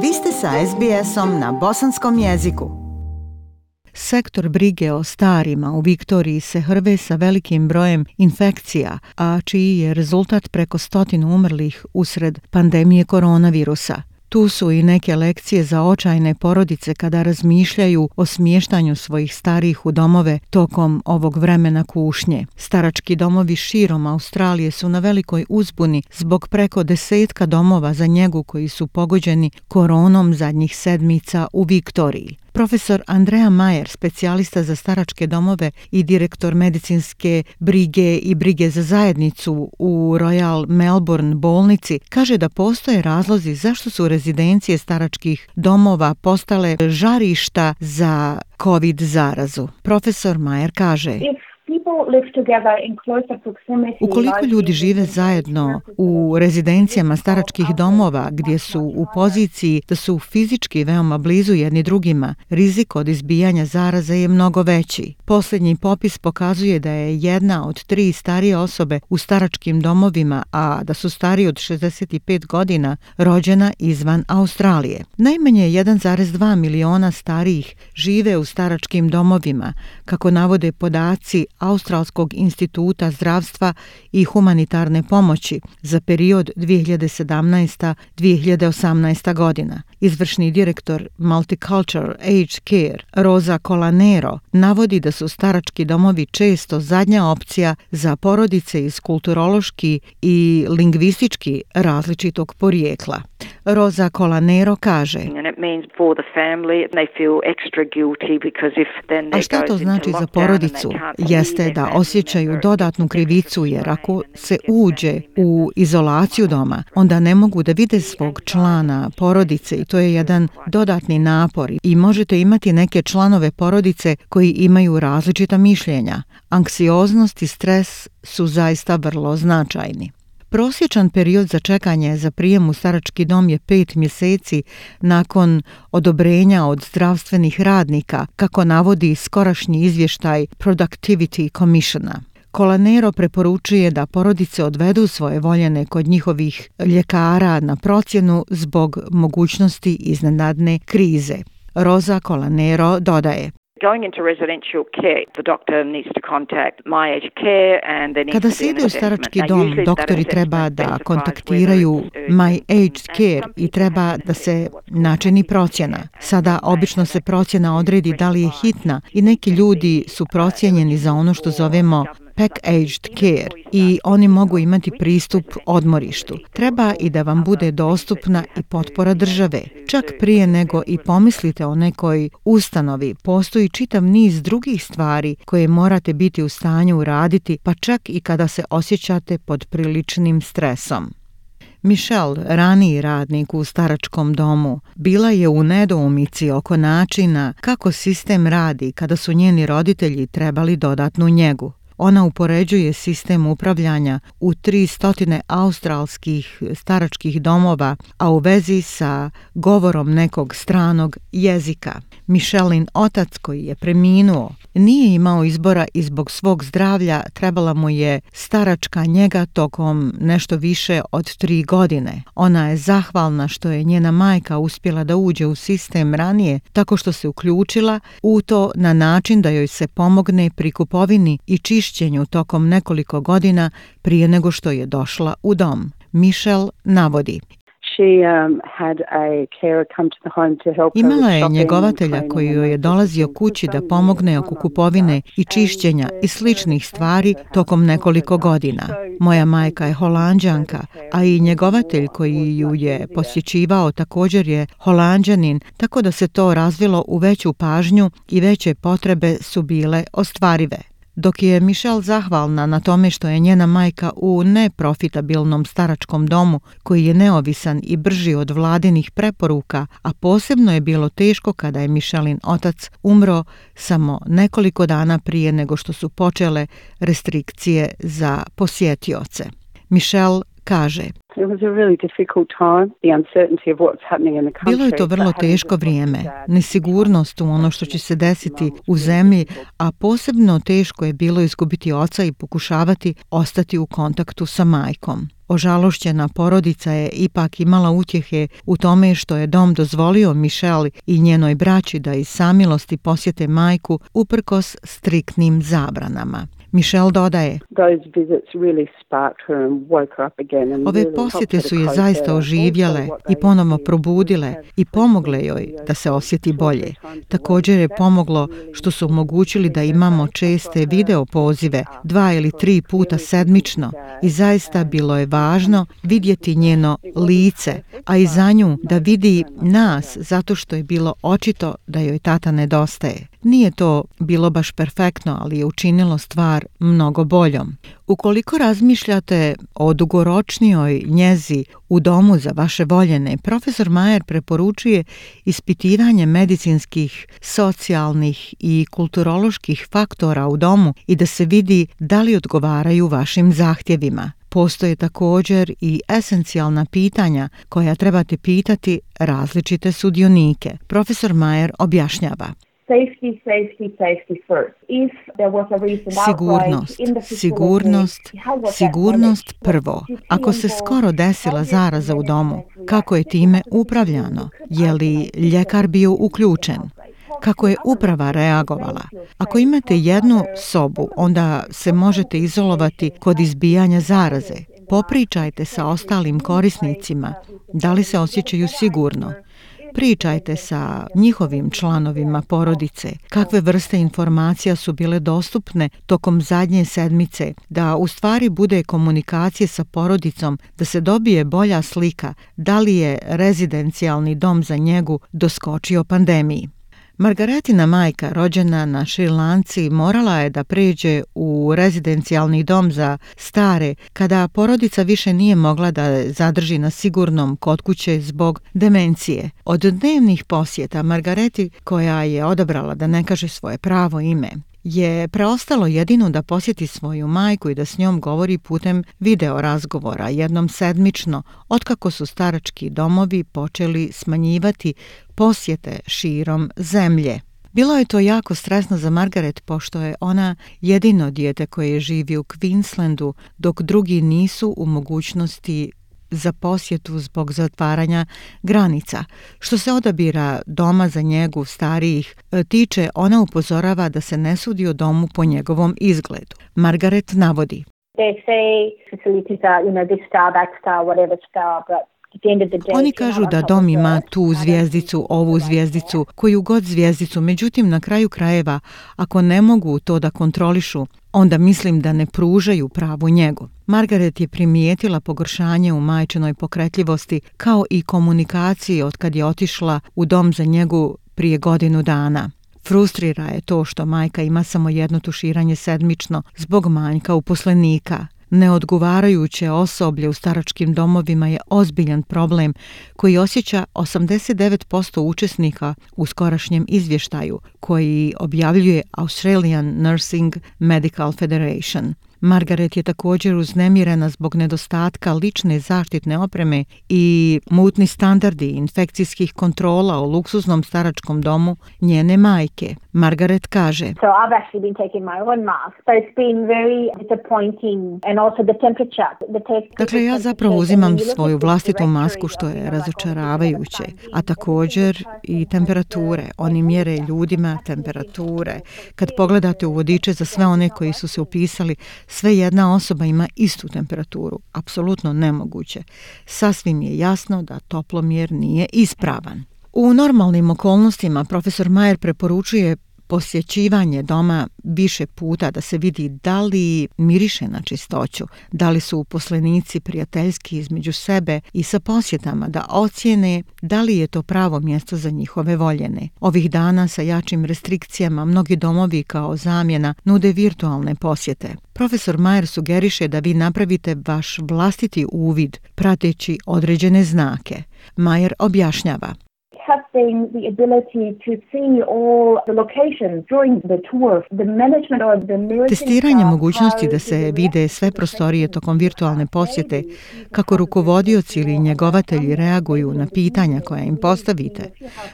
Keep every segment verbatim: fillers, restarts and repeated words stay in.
Vi ste sa es bi esom na bosanskom jeziku. Sektor brige o starima u Viktoriji se hrve sa velikim brojem infekcija, a čiji je rezultat preko stotinu umrlih usred pandemije koronavirusa. Tu su i neke lekcije za očajne porodice kada razmišljaju o smještanju svojih starijih u domove tokom ovog vremena kušnje. Starački domovi širom Australije su na velikoj uzbuni zbog preko desetka domova za njegu koji su pogođeni koronom zadnjih sedmica u Viktoriji. Profesor Andrea Majer, specijalista za staračke domove i direktor medicinske brige i brige za zajednicu u Royal Melbourne bolnici, kaže da postoje razlozi zašto su rezidencije staračkih domova postale žarišta za COVID zarazu. Profesor Majer kaže: ukoliko ljudi žive zajedno u rezidencijama staračkih domova gdje su u poziciji da su fizički veoma blizu jedni drugima, rizik od izbijanja zaraze je mnogo veći. Posljednji popis pokazuje da je jedna od tri starije osobe u staračkim domovima, a da su stariji od šezdeset pet godina, rođena izvan Australije. Najmanje jedan zarez dva miliona starijih žive u staračkim domovima, kako navode podaci Australskog instituta zdravstva i humanitarne pomoći za period dvije hiljade sedamnaesta do dvije hiljade osamnaesta godina. Izvršni direktor Multicultural Aged Care Rosa Colanero navodi da su starački domovi često zadnja opcija za porodice iz kulturološki i lingvistički različitog porijekla. Rosa Colanero kaže: a šta to znači za porodicu? Jeste da osjećaju dodatnu krivicu, jer ako se uđe u izolaciju doma, onda ne mogu da vide svog člana porodice i to je jedan dodatni napor. I možete imati neke članove porodice koji imaju različita mišljenja. Anksioznost i stres su zaista vrlo značajni. Prosječan period za čekanje za prijem u starački dom je pet mjeseci nakon odobrenja od zdravstvenih radnika, kako navodi skorašnji izvještaj Productivity Commissiona. Colanero preporučuje da porodice odvedu svoje voljene kod njihovih ljekara na procjenu zbog mogućnosti iznenadne krize. Rosa Colanero dodaje: kada se ide u starački dom, doktori treba da kontaktiraju My Aged Care i treba da se načini procjena. Sada obično se procjena odredi da li je hitna i neki ljudi su procijenjeni za ono što zovemo Pack-aged care i oni mogu imati pristup odmorištu. Treba i da vam bude dostupna i potpora države. Čak prije nego i pomislite o nekoj ustanovi, postoji čitav niz drugih stvari koje morate biti u stanju uraditi, pa čak i kada se osjećate pod priličnim stresom. Michelle, raniji radnik u staračkom domu, bila je u nedoumici oko načina kako sistem radi kada su njeni roditelji trebali dodatnu njegu. Ona upoređuje sistem upravljanja u tri stotine australskih staračkih domova, a u vezi sa govorom nekog stranog jezika. Michelin otac, koji je preminuo, nije imao izbora i zbog svog zdravlja trebala mu je staračka njega tokom nešto više od tri godine. Ona je zahvalna što je njena majka uspjela da uđe u sistem ranije, tako što se uključila u to na način da joj se pomogne pri kupovini i čišćenju tokom nekoliko godina prije nego što je došla u dom. Michelle navodi: imala je njegovatelja koji joj je dolazio kući da pomogne oko kupovine i čišćenja i sličnih stvari tokom nekoliko godina. Moja majka je Holanđanka, a i njegovatelj koji ju je posjećivao također je Holanđanin, tako da se to razvilo u veću pažnju i veće potrebe su bile ostvarive. Dok je Michelle zahvalna na tome što je njena majka u neprofitabilnom staračkom domu koji je neovisan i brži od vladinih preporuka, a posebno je bilo teško kada je Michelin otac umro samo nekoliko dana prije nego što su počele restrikcije za posjetioce. Michelle kaže: Bilo je to vrlo teško vrijeme, nesigurnost u ono što će se desiti u zemlji, a posebno teško je bilo izgubiti oca i pokušavati ostati u kontaktu sa majkom. Ožalošćena porodica je ipak imala utjehe u tome što je dom dozvolio Michelle i njenoj braći da iz samilosti posjete majku uprkos striktnim zabranama. Michelle dodaje: ove posjete su je zaista oživjele i ponovno probudile i pomogle joj da se osjeti bolje. Također je pomoglo što su omogućili da imamo česte video pozive, dva ili tri puta sedmično, i zaista bilo je važno vidjeti njeno lice, a i za nju da vidi nas, zato što je bilo očito da joj tata nedostaje. Nije to bilo baš perfektno, ali je učinilo stvar mnogo boljom. Ukoliko razmišljate o dugoročnijoj njezi u domu za vaše voljene, profesor Mayer preporučuje ispitivanje medicinskih, socijalnih i kulturoloških faktora u domu i da se vidi da li odgovaraju vašim zahtjevima. Postoje također i esencijalna pitanja koja trebate pitati različite sudionike. Profesor Mayer objašnjava: Safety, safety, safety first. If there was a recent Sigurnost, sigurnost, sigurnost prvo. Ako se skoro desila zaraza u domu, kako je time upravljano? Je li ljekar bio uključen? Kako je uprava reagovala? Ako imate jednu sobu, onda se možete izolovati kod izbijanja zaraze. Popričajte sa ostalim korisnicima, da li se osjećaju sigurno. Pričajte sa njihovim članovima porodice, kakve vrste informacija su bile dostupne tokom zadnje sedmice, da u stvari bude komunikacije sa porodicom, da se dobije bolja slika da li je rezidencijalni dom za njegu doskočio pandemiji. Margaretina majka, rođena na Šrilanci, morala je da pređe u rezidencijalni dom za stare kada porodica više nije mogla da zadrži na sigurnom kod kuće zbog demencije. Od dnevnih posjeta Margareti, koja je odabrala da ne kaže svoje pravo ime, je preostalo jedino da posjeti svoju majku i da s njom govori putem video razgovora jednom sedmično, otkako su starački domovi počeli smanjivati posjete širom zemlje. Bilo je to jako stresno za Margaret, pošto je ona jedino dijete koje živi u Queenslandu, dok drugi nisu u mogućnosti za posjetu zbog zatvaranja granica. Što se odabira doma za njegu starijih tiče, ona upozorava da se ne sudi o domu po njegovom izgledu. Margaret navodi: Oni kažu da dom ima tu zvjezdicu, ovu zvjezdicu, koju god zvjezdicu, međutim na kraju krajeva, ako ne mogu to da kontrolišu, onda mislim da ne pružaju pravu njegu. Margaret je primijetila pogoršanje u majčinoj pokretljivosti kao i komunikaciji od kad je otišla u dom za njegu prije godinu dana. Frustrira je to što majka ima samo jedno tuširanje sedmično zbog manjka uposlenika. Neodgovarajuće osoblje u staračkim domovima je ozbiljan problem koji osjeća osamdeset devet posto učesnika u skorašnjem izvještaju koji objavljuje Australian Nursing Medical Federation. Margaret je također uznemirena zbog nedostatka lične zaštitne opreme i mutni standardi infekcijskih kontrola u luksuznom staračkom domu njene majke. Margaret kaže: So I've actually been taking my own mask, so it's been very disappointing, and also the temperature. The te- Dakle, ja zapravo uzimam svoju vlastitu masku, što je razočaravajuće, a također i temperature. Oni mjere ljudima temperature. Kad pogledate u vodiče za sve one koji su se upisali, sve jedna osoba ima istu temperaturu. Apsolutno nemoguće. Sasvim je jasno da toplomjer nije ispravan. U normalnim okolnostima profesor Mayer preporučuje posjećivanje doma više puta da se vidi da li miriše na čistoću, da li su uposlenici prijateljski između sebe i sa posjetama da ocjene da li je to pravo mjesto za njihove voljene. Ovih dana sa jačim restrikcijama mnogi domovi kao zamjena nude virtualne posjete. Profesor Mayer sugeriše da vi napravite vaš vlastiti uvid prateći određene znake. Mayer objašnjava: having the ability to see all the locations during the tour, the management or the nursing Testiranje staff mogućnosti da are se vide sve prostorije tokom virtualne posjete, kako rukovodioci ili njegovatelji reaguju na pitanja koja im postavite.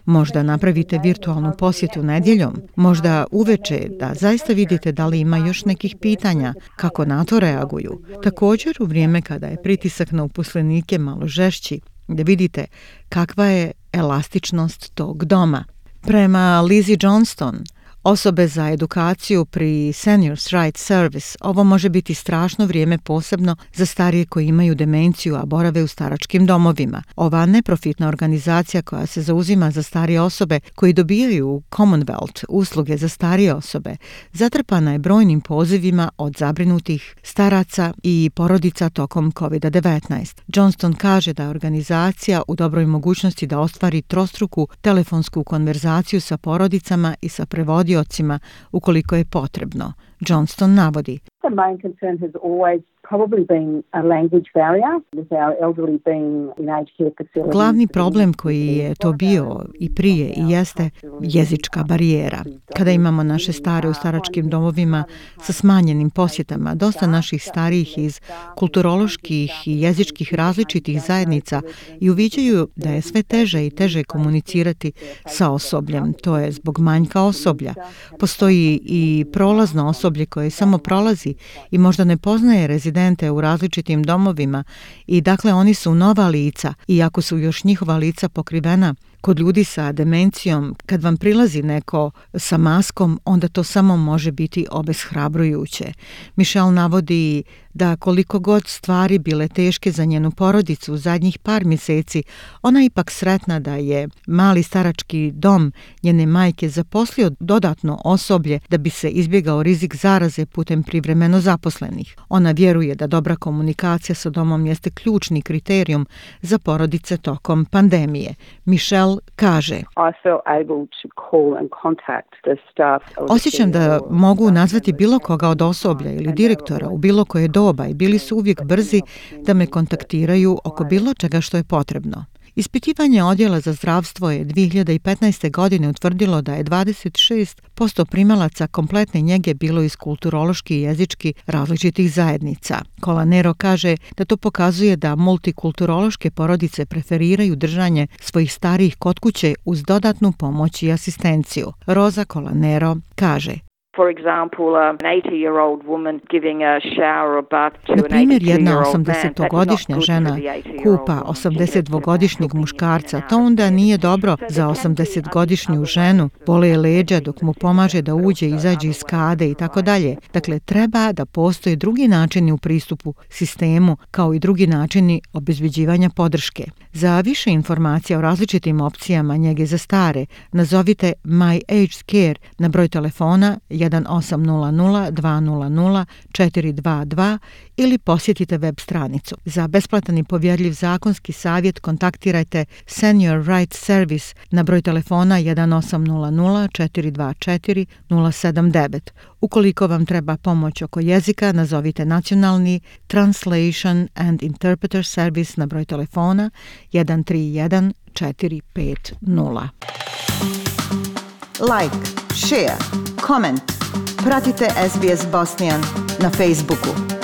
Možda napravite virtualnu posjetu nedjeljom, možda uveče da zaista vidite da li ima još nekih pitanja, kako na to reaguju. Također u vrijeme kada je pritisak na uposlenike malo žešći, da vidite kakva je elastičnost tog doma. Prema Lizzie Johnston, osobe za edukaciju pri Seniors Right Service, ovo može biti strašno vrijeme posebno za starije koji imaju demenciju, a borave u staračkim domovima. Ova neprofitna organizacija koja se zauzima za starije osobe koji dobijaju Commonwealth usluge za starije osobe, zatrpana je brojnim pozivima od zabrinutih staraca i porodica tokom kovid devetnaest. Johnston kaže da je organizacija u dobroj mogućnosti da ostvari trostruku telefonsku konverzaciju sa porodicama i sa prevodioцima ukoliko je potrebno. Johnston navodi: The main concern has always probably been a language barrier with our elderly being in aged care facilities. Glavni problem koji je to bio i prije i jeste jezička barijera. Kada imamo naše stare u staračkim domovima sa smanjenim posjetama, dosta naših starijih iz kulturoloških i jezičkih različitih zajednica i uviđaju da je sve teže i teže komunicirati sa osobljem. To je zbog manjka osoblja. Postoji i prolazno osoblje koje samo prolazi i možda ne poznaje rezidente u različitim domovima i dakle oni su nova lica, iako su još njihova lica pokrivena. Kod ljudi sa demencijom, kad vam prilazi neko sa maskom, onda to samo može biti obeshrabrujuće. Michelle navodi da koliko god stvari bile teške za njenu porodicu u zadnjih par mjeseci, ona je ipak sretna da je mali starački dom njene majke zaposlio dodatno osoblje da bi se izbjegao rizik zaraze putem privremeno zaposlenih. Ona vjeruje da dobra komunikacija sa domom jeste ključni kriterijum za porodice tokom pandemije. Michelle kaže: Osjećam da mogu nazvati bilo koga od osoblja ili direktora u bilo koje doba i bili su uvijek brzi da me kontaktiraju oko bilo čega što je potrebno. Ispitivanje odjela za zdravstvo je dvije hiljade petnaeste. godine utvrdilo da je dvadeset šest posto primalaca kompletne njege bilo iz kulturološki i jezički različitih zajednica. Colanero kaže da to pokazuje da multikulturološke porodice preferiraju držanje svojih starijih kod kuće uz dodatnu pomoć i asistenciju. Rosa Colanero kaže: Na primjer, jedna osamdesetogodišnja žena kupa osamdesetdvogodišnjeg muškarca. To onda nije dobro za osamdesetgodišnju ženu. Bole je leđa dok mu pomaže da uđe i izađe iz kade i tako dalje. Dakle, treba da postoje drugi načini u pristupu sistemu, kao i drugi načini obezbeđivanja podrške. Za više informacija o različitim opcijama njege za stare, nazovite My Aged Care na broj telefona jedan osam nula nula dva nula nula četiri dva dva ili posjetite web stranicu. Za besplatan i povjerljiv zakonski savjet kontaktirajte Senior Rights Service na broj telefona jedan osam nula nula četiri dva četiri nula sedam devet. Ukoliko vam treba pomoć oko jezika, nazovite nacionalni Translation and Interpreter Service na broj telefona jedan tri jedan četiri pet nula. Like, share, comment. Pratite S B S Bosnian na Facebooku.